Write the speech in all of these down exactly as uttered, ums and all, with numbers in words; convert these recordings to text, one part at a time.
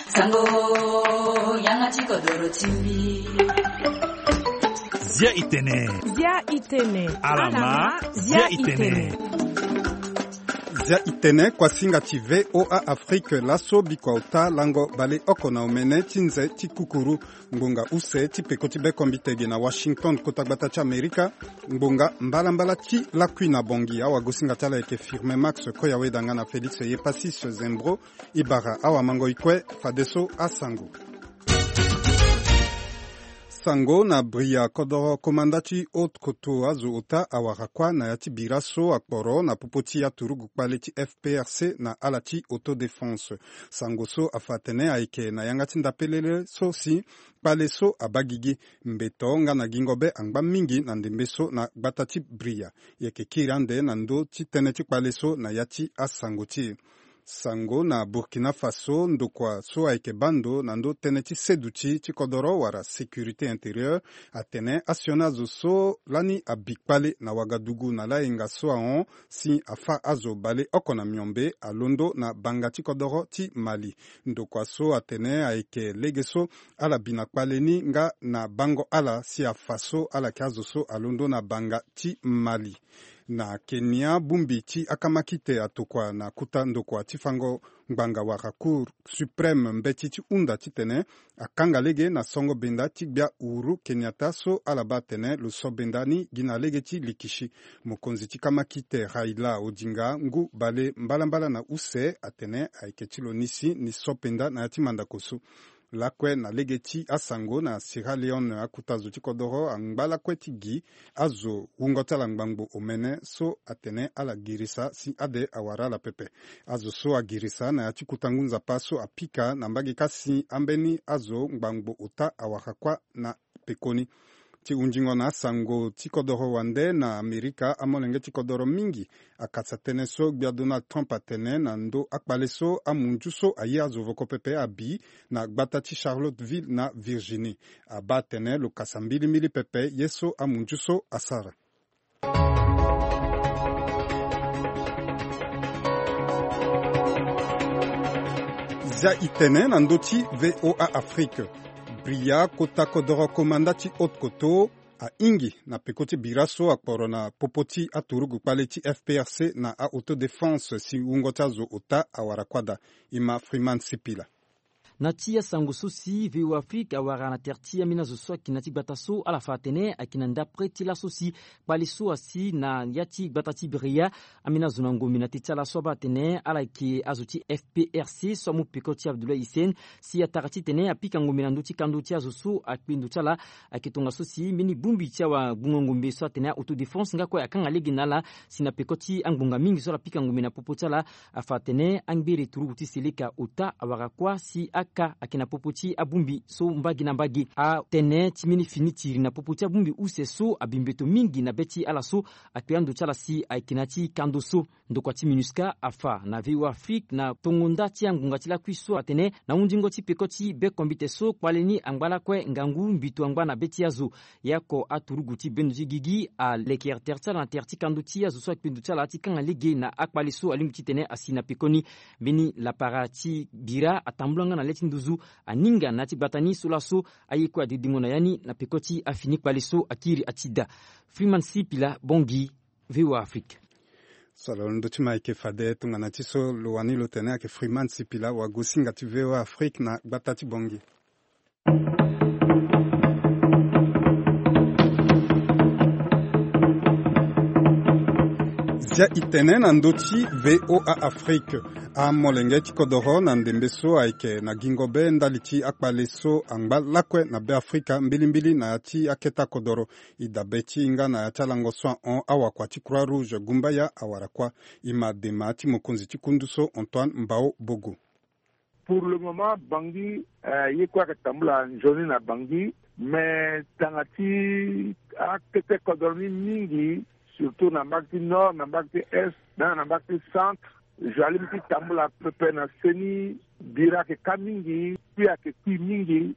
Sango, yanga ti kodoro ti mbi. Zia itene. Zia itene. Alama, zia itene. Zia itene, kuasinga ti V O A Afrique, laso bikua ota lango baleoko na omene ti nze ti kukuru. Ngbonga use ti peko ti bekombite ge na Washington, kota gbata ti Amerika. Ngbonga mbalambala ti lakui na Bangui, awagosinga ti ala ayeke Firmin Max Koyaweda nga na Félix Yepasis Zembro. E bara awamangoi kue, fadeso asango. Sango na Bria, kodoro komanda ti haute koto azo ota awara kuâ na ya ti bira so akporo na popo ti aturugu kpale ti F P R C na ala ti autodéfense. Sango so afa atene ayeke na yanga ti ndapelele so si kpale so abaa gigi. Mbeto nga na gingo be angba mingi na ndembe so na gbata ti Bria. E yeke kiri ande na ndö ti tënë ti kpale so na ya ti asango ti e. Sango na Burkina Faso, ndokua so ayeke baa ndo na ndö tënë ti seduti ti kodoro wala sécurité intérieure atene asioni azo so lani abi kpale na Wagadugu na layenga so ahon si afâ azo baleoko na miombe alondo na banga ti kodoro ti Mali. Ndokua so atene ayeke lege so ala bi na kpale ni nga na bango ala si afa so ala yeke azo so alondo na banga ti Mali. Na Kenya, bongbi ti akamakite atokua na kota ndokua ti fango ngbanga wala Cour suprême mbeti ti hunda titene akanga lege na songo benda ti gbia Uhuru Kenyatta so ala baa atene lo so benda ni gi na lege ti likishi. Mokonzi ti kamakite Raila Odinga ngu bale mbalambala na use atene ayeke ti lo ni si ni so penda na ya ti mandako so. Lakue na lege ti asango na Sierra Leone, akota zo ti kodoro angba lakue ti gi azo wungo ti ala ngbangbo omene so atene ala girisa si ade awara ala pepe. Azo so agirisa na ya ti kota ngu nzapa so apika na mbage kâ si ambeni azo ngbangbo ota awara kuâ na pekoni. Ti hunzingo na asango ti kodoro wande na Amerika, amolenge ti kodoro mingi akasa tënë so gbia Donald Trump atene na ndö akpale so amunzu so aye azo voko pepe abi na gbata ti Charlottesville na Virginie. Abaa atene lo kasa mbilimbili pepe ye so amunzu so asara. Zia itene na ndö ti V O A Afrique. Bria, kota kodoro komanda ti haute koto, ahingi na peko ti bira so akporo na popo ti aturugu kpale ti F P R C na a-autodéfense si wungo ti azo ota awara kuâ daa. E ma Freeman Sipila. Na ti asango so si V O A Afrique awara na tere ti ambeni azo so ayeke na ya ti gbata so, ala fa atene ayeke na ndapre ti laso si kpale so asi na ya ti gbata ti Bria. Ambeni azo na ngombe na teti ala so abaa atene ala yeke azo ti F P R C so amu peko ti Abdoulaye Hissène si atara titene apika ngombe na ndö ti kando ti azo so akpe ndo ti ala. Ayeke tongaso si mbeni bongbi ti awagbungo ngombe so atene a-autodéfense nga kue akanga lege na ala si na peko ti angbonga mingi so ala pika ngombe na popo ti ala. Afa atene angbere turugu ti seleka ota awara kuâ si aka ayeke na popo ti abongbi so mbage na mbage. Atënë ti mbeni fini tiri na popo ti abongbi use so abi mbeto mingi na be ti ala so akpe ando ti ala si ayeke na ya ti kando so. Ndokua ti MINUSCA afa na V O A Afrique na tongo nda ti angbonga ti lakui so atene na hunzingo ti peko ti bekombite so kpale ni angba lakue ngangu mbito angba na be ti azo. Ye oko aturugu ti bendo ti gigi aleke tere ti ala na tere ti kando ti azo so akpe ndo ti ala ti kanga lege na akpale so alingbi titene asi na pekoni. Mbeni lapara ti bira atambula nga na le ti nduzu aninga na ya ti gbata ni so laso aye kue adedengo na ya ni na peko ti afini kpale so akiri ati daa. Freeman Sipila, Bangui, V O A Afrique. So lo ndö ti ma ayeke fade tongana ti so lo wani lo tene ayeke Freeman Sipila, wagosinga ti V O A Afrique na gbata ti Bangui. Zia itene na ndö ti V O A Afrique. Amolenge ti kodoro na ndembe so ayeke na gingo be ndali ti akpale so angba lakue na Beafrika mbilimbili na ya ti aketa kodoro. E dabe ti e nga na ya ti alango so ahon awakua ti Croix Rouge Gumbaya awara kuâ. E ma dema ti mokonzi ti kundu so Antoine Mbao Bogo. Pour le moment Bangui, eh, ye kue ayeke tambula nzoni na Bangui, mais tanga ti akete kodoro ni mingi, surtout na mbage ti nord, na mbage ti est, na na mbage ti centre. Zo alingbi ti tambula pepe na seni, bira ayeke ka mingi, kui ayeke kui mingi.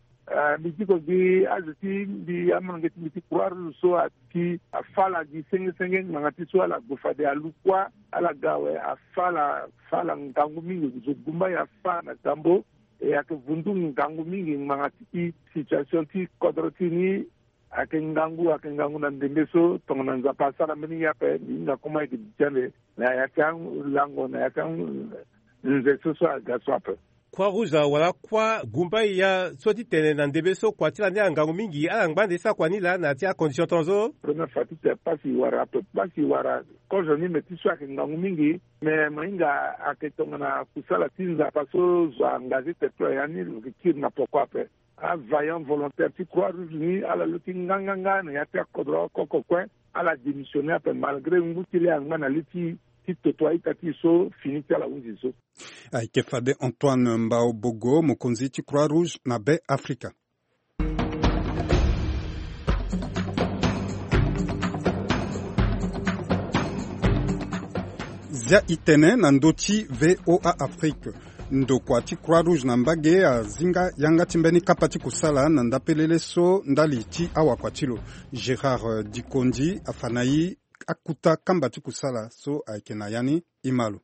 Mbi ti ko gi azo ti mbi, amolenge ti mbi ti Croix Rouge so ati afa ala gi senge senge ngbanga ti so ala gue fade alu kuâ, ala ga awe afa ala, fa ala ngangu mingi, zo gumba ye afa na gambo. E ayeke vundu ngangu mingi ngbanga ti situation ti kodro ti e ni. Ayeke ngangu, ayeke ngangu na ndembe so tongana Nzapa asara mbeni ye ape, mbi hinga koma ayeke bitia nde na ya ti alango, na ya ti anze so so aga so ape. Croix Rouge wala kuâ gumba ya so ti tene na ndembe so kua ti lani ala ngangu mingi, ala ngba nde ti sara kua ni laa na ya ti acondition tongaso. Première fois ti tene pasi wara ape, pasi wara kozo ni, me ti so ayeke ngangu mingi. Me mo hinga ayeke tongana kusala ti Nzapa so zo angazé tene ti lo ya ni, lo yeke kiri na poko ape. Availlant volontaire ti Croix Rouge ni ala luti nganganga na ya ti akodro oko oko kue. Ala démissionné ape malgré ngu ti le angba na li ti, ti toto a-ita ti e so fini ti ala hunzi so. Ayeke fade Antoine Mbao Bogo, mokonzi ti Croix Rouge na Be Afrika. Zia e tene na ndö ti V O A Afrique. Ndokua ti Croix Rouge na mbage azinga yanga ti mbeni kapa ti kusala na ndapelele so ndali ti awakua ti lo. Gérard Dikondi afa na e akuta kamba ti kusala so ayeke na ya ni, e ma lo.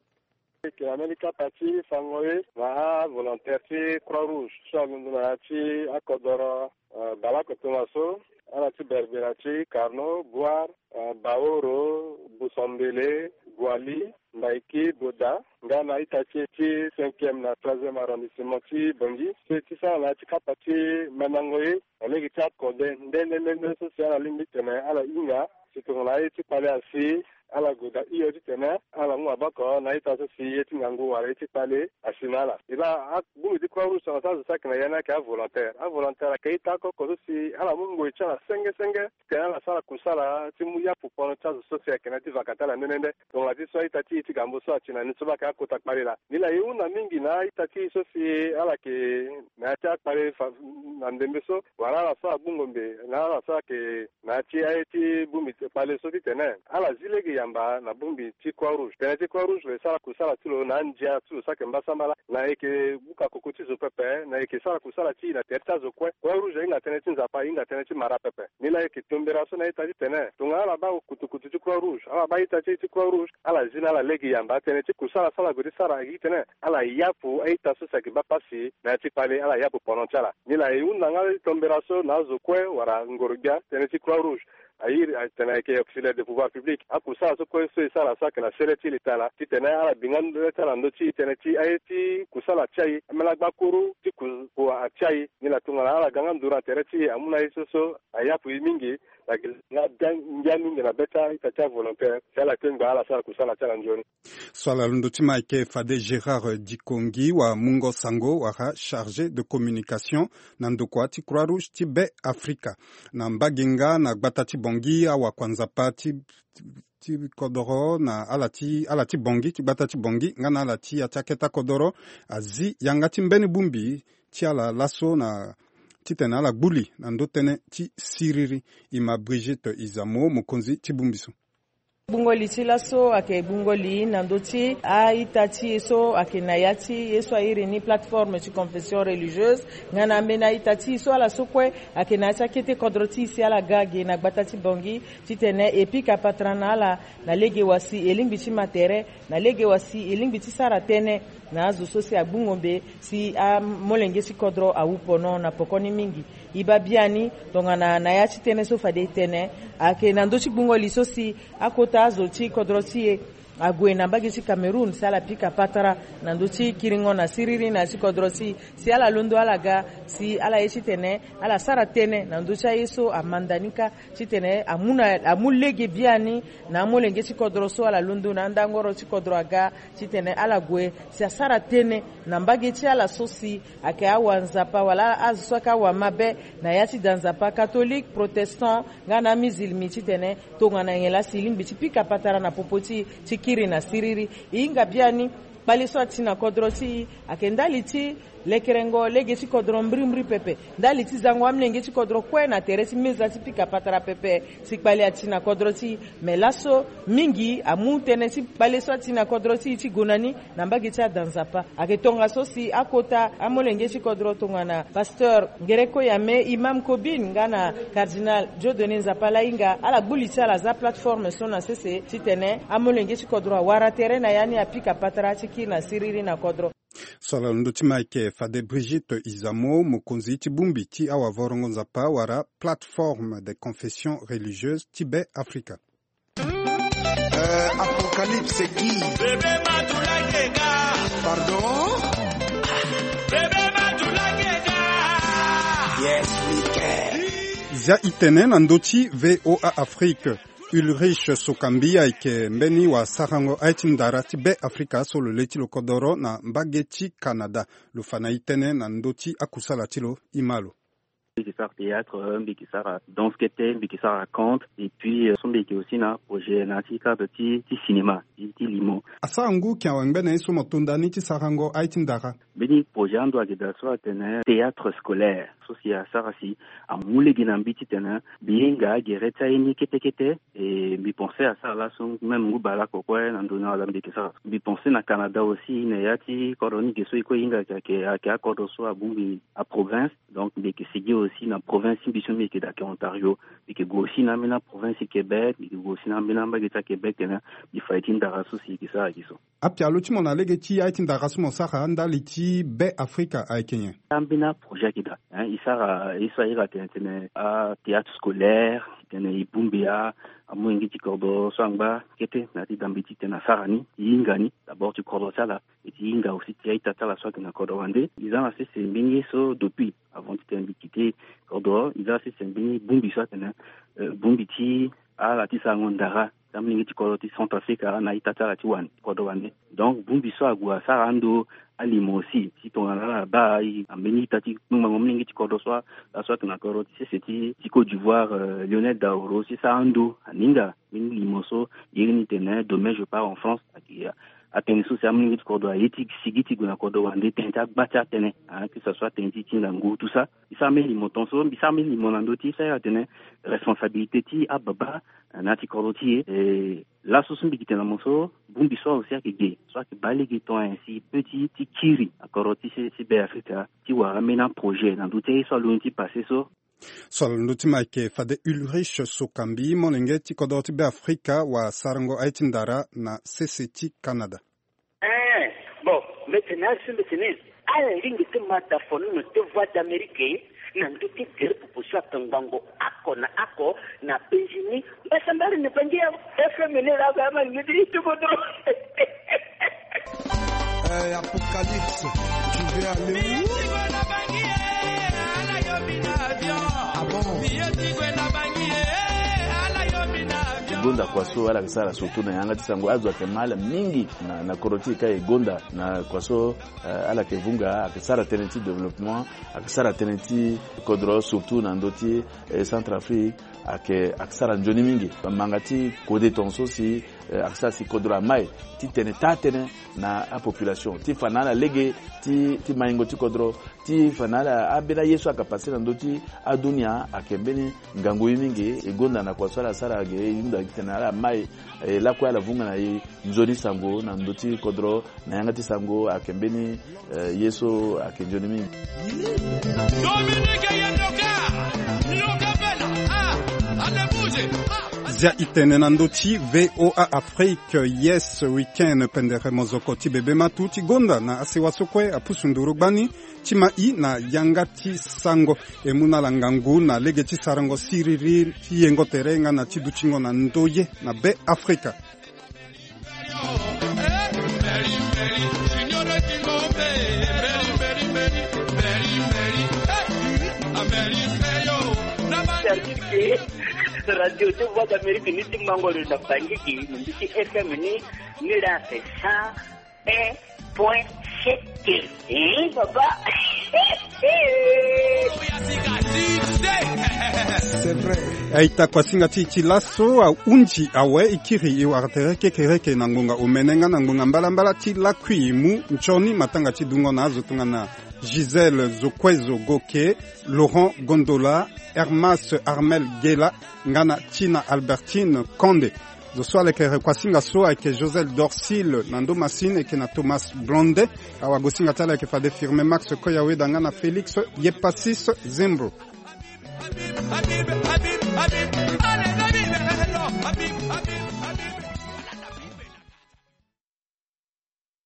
Ayeke na mbeni kapa ti fango ye na avolontaire ti Croix Rouge so alondo na ya ti akodoro, eh, baleoko tongaso, ala ti Berbera ti Carnot, Bouar, eh, Baoro, Boussambele, Guali, Mbaiki, Boda, nga na ita ti e ti cinquième na troisième arrondissement ti Bangui. So e ti sara na ya ti kapa ti mandango ye na lege ti akode nde nde nde nde so si ala lingbi tene ala hinga si tongana aye ti kpale asi, ala gue daa hio titene ala mu maboko na ita so si ye ti ngangu wala ye ti kpale asi na ala. E laa abongbi ti Croix Rouge tongana so azo so ayeke na ya ni ayeke avolontaire. Avolontaire ayeke ita oko oko so si ala mu ngoi ti ala senge senge titene ala sara kusala ti mu yapu pono ti azo so si ayeke na ya ti vaka ti ala nde nde nde. Tongana ti so a-ita ti e ti gambo so ati na ni so baa ayeke akota kpale laa. Nilaa e hunda mingi na a-ita ti e so si ala yeke na ya ti akpale fa na ndembe so, wala ala so agbungo mbe na ala so ayeke na ya ti aye ti bongbi kpale so titene ala zi lege yamba na bongbi ti Croix Rouge. Tënë ti Croix Rouge lo yeke sara kusala ti lo na andia ti lo so ayeke mbasambala, na e yeke buka koko ti zo pepe, na e yeke sara kusala ti e na tere ti azo kue. Croix Rouge ahinga tënë ti Nzapa, ahinga tënë ti mara pepe. Nilaa e yeke tombera so na a-ita titene tongana ala baa kutukutu ti Croix Rouge, ala baa a-ita ti e ti Croix Rouge, ala zi na ala lege yamba tënë ti kusala so ala gue ti sara ayeke titene ala yapu a-ita so si ayeke baa pasi na ya ti kpale, ala yapu pono ti ala. Nilaa e hunda nga tombera so na azo kue wala ngoro-gbia tënë ti Croix Rouge. A iri atene ayeke auxiliaire de pouvoir public. Akusala so kue so e sara so ayeke na sele ti leta laa titene ala bi nga le ti ala na ndö ti e tënë ti aye ti kusala ti aye, ambeni agbakuru ti ku, ku atia e. Nilaa tongana ala ga nga nduru na tere ti e amu na ye so so ayapu e mingi. Ayeke nga ngia mingi na be ti a-ita ti avolontaire si ala kpengba ala sara kusala ti ala nzoni. So ala londo ti ma ayeke fade Gérard Dikongi wa mungo sango wala chargé de communication na ndokua ti Croix Rouge ti Be Afrika. Na mbage nga na gbata ti Bangui, awakua Nzapa ti, ti kodoro na ala ti, ala ti Bangui, ti gbata ti Bangui nga na ala ti ya ti akete kodoro azi yanga ti mbeni bongbi ti ala laso na titene ala gbu li na ndö tënë ti siriri. E ma Brigitte Izamo, mokonzi ti bongbi so. Gbungo li ti laso ayeke gbungo li na ndö ti a-ita ti e so ayeke na ya ti ye so a iri ni plateforme ti confession religieuse, nga na ambeni a-ita ti e so ala so kue ayeke na ya ti akete kodro ti e si ala ga ge na gbata ti Bangui titene e pika patara na ala na lege wa si e lingbi ti ma tere, na lege wa si e lingbi ti sara tënë na azo so si agbungo mbe si amolenge ti kodro awu pono na poko ni mingi. E baa biani tongana na ya ti tënë so fade e tene ayeke na ndö ti gbungo li so si akota azo ti kodro ti e ague na mbage ti Cameroun si ala pika patara na ndö ti kiringo na siriri na ya ti kodro ti e, si ala londo ala ga si ala ye titene ala sara tënë na ndö ti aye so amanda ni kâ titene amu na, amu lege biani na amolenge ti kodro so ala londo na andangoro ti kodro aga titene ala gue si asara tënë na mbage ti ala so si ayeke awa Nzapa wala azo so ayeke awa mabe na ya ti da Nzapa, catholique, protestant nga na amizilmi titene tongana nyen laa si e lingbi ti pika patara na popo ti e ti kiri na siriri. E hinga biani Kpale so ati na kodro ti e ayeke ndali ti lekerengo lege ti kodro mbirimbiri pepe, ndali ti zango amolenge ti kodro kue na tere ti meza ti pika patara pepe. Si kpale ati na kodro ti e, me laso mingi amu tënë ti kpale so ati na kodro ti e ti gue na ni na mbage ti ada nzapa. Ayeke tongaso si akota amolenge ti kodro tongana pasteur Ngereko Yame, imam Kobine nga na cardinal Dieudonné Nzapa Lahinga, ala gbu li ti ala aza plateforme so na sese titene amolenge ti kodro awara tere na ya ni apika patara ti kiri na siriri na kodro. So ala londo ti ma ayeke fade Brigitte Izamo, mokonzi ti bongbi ti awavorongo nzapa wala plateforme des confessions religieuses ti Be Afrika. Euh, Apocalypse qui? Bébé Matula Keka. Pardon? Bébé Matula Keka. Yes, we can. Zia e tene na ndö ti V O A Afrique. Ulrich Sokambi ayeke mbeni wasarango aye ti ndara ti Be Afrika so lo le ti lo kodoro na mbage ti Canada. Lo fa na e tënë na ndö ti akusala ti lo, e ma lo. Mbi yeke sara théâtre, mbi yeke sara danse kete, mbi yeke sara conte, et puis, euh, so mbi yeke aussi na projet na ya ti cadre ti, ti cinéma, ti, ti limo. Asara ngu yeke awe ngbene ye so mo to nda ni ti sarango aye ti ndara. Mbeni projet ando ayeke daa so atene théâtre scolaire. So si asara si amu lege na mbi titene mbi hinga gere ti aye ni kete kete. E mbi pense asara laso même ngu bale oko kue na ndö ni ala mbi yeke sara. Mbi pense na Canada aussi na ya ti kodro ni ge so e kue e hinga ayeke, ayeke akodro so abongbi aprovince. Donc mbi yeke sigi aussi na province ti mbi so mbi yeke daa ayeke Ontario. Mbi yeke gue aussi na ambeni aprovince ti Québec, mbi yeke gue aussi na ambeni ambage ti aQuébec tene mbi fa ye ti ndara so si e yeke sara gi so. Apialo ti mo na lege ti aye ti ndara so mo sara ndali ti Be Afrika ayeke nyen? Ambeni aprojet ayeke daa, hein, e sara ye so a iri atene tene athéâtre scolaire, tene e bongbi a, amolenge ti kodro so angba kete na ya ti dambe titene asara ni, e hinga ni d'abord ti kodro ti ala, e ti hinga aussi ti a-ita ti ala so ayeke na kodro wande. E za na sese mbeni ye so depuis avant titene mbi kite kodro, e za na sese mbeni bongbi so atene, euh, bongbi ti ala ti sarango ndara ti amolenge ti kodro ti Centrafrique na a-ita ti ala ti wande, kodro wande. Donc bongbi so ague asara ando alimo aussi ti tongana ala baa e na mbeni ita ti kpengbango amolenge ti kodro so, laso ayeke na kodro ti sese ti, ti Côte d'Ivoire, euh, Lionel Daoro, si sara ando aninga mbeni limo so iri ni tene Demain je pars en France. Ayeke atene so si amolenge ti kodro aye ti sigi ti gue na kodro wande tënë ti agba ti atënë, hein, que ça soit tënë ti ti ngangu, tout ça. E sara mbeni limo tongaso, mbi sara mbeni limo na ndö ti so a iri atene responsabilité ti ababa na ya ti kodro ti e. E laso so mbi yeke tene na mo so, bongbi so aussi ayeke ge, so ayeke baa lege tongana nyen si e peut ti, ti kiri na kodro ti se, ti Be Afrika, ti wara ambeni aprojet na ndö ti aye so alondo ti passé so. So alondo ti ma ayeke fade Ulrich Sokambi, molenge ti kodro ti Be Afrika wasarango aye ti ndara na sese ti Canada. Eh, bon, mbi tene asi mbi tene, ala lingbi ti ma dafonono ti Voix d'Amérique na ndö ti gere popo so akangbango oko na oko na penzi ni. Mbasambara ni bangi ya F M ni la ba ma ngidi ti kodro. Eh, Apocalypse, tu veux aller où? Ah bon? E gonda kua so ala yeke sara surtout na yanga ti sango, azo ayeke ma ala mingi na, na kodro ti e ka e gonda na kua so, eh, ala yeke vunga, ayeke sara tënë ti développement, ayeke sara tënë ti kodro surtout na ndö ti, eh, Centrafrique, ayeke, ayeke sara nzoni mingi. Manga ti kode tongaso si, eh, ayeke sara si kodro amai ti tene taa tënë na apopulation ti fa na ala lege ti, ti maingo ti kodro, ti fa na ala ambeni aye so ayeke passé na ndö ti adunia ayeke mbeni ngangu ye mingi. E gonda na kua so ala sara ge, e hunda titene ala mai, e lakue ala vunga na e nzoni sango na ndö ti kodro na yanga ti sango ayeke mbeni, eh, ye so ayeke nzoni mingi. Dominique Yendoka, Yoka Bella, ah, allez bouger, ah. Zia e tene na ndö ti V O A Afrique, Yes Weekend, pendere mozoko ti bebe matu ti gonda na asewa so kue apusu nduru gbani ti ma i na yanga ti sango. E mu na ala ngangu na lege ti sarango siriri ti yengo tere nga na ti dutingo na ndoye na Be Afrika. Radio ti Voix d'Amérique ni ti mango lo na Bangui, ni ti F M ni, ni la c'est cent un point sept. Eh, baba. Aita kuasinga ti e ti laso ahunzi awe, e kiri e wara tere kekereke na ngonga omene nga na ngonga mbalambala ti lakui e mu nzoni matanga ti dungo na azo tongana Gisèle Zokuezo Goke, Laurent Gondola, Hermas Armel Gela, nga na Tina Albertine Konde. Zo so alekere kuasinga so ayeke Josel Dorcil na ndo masine, eke na Thomas Blonde. Awagosinga ti ala ayeke fade Firme Max Koyaweda nga na Félix Yepasis Zembro.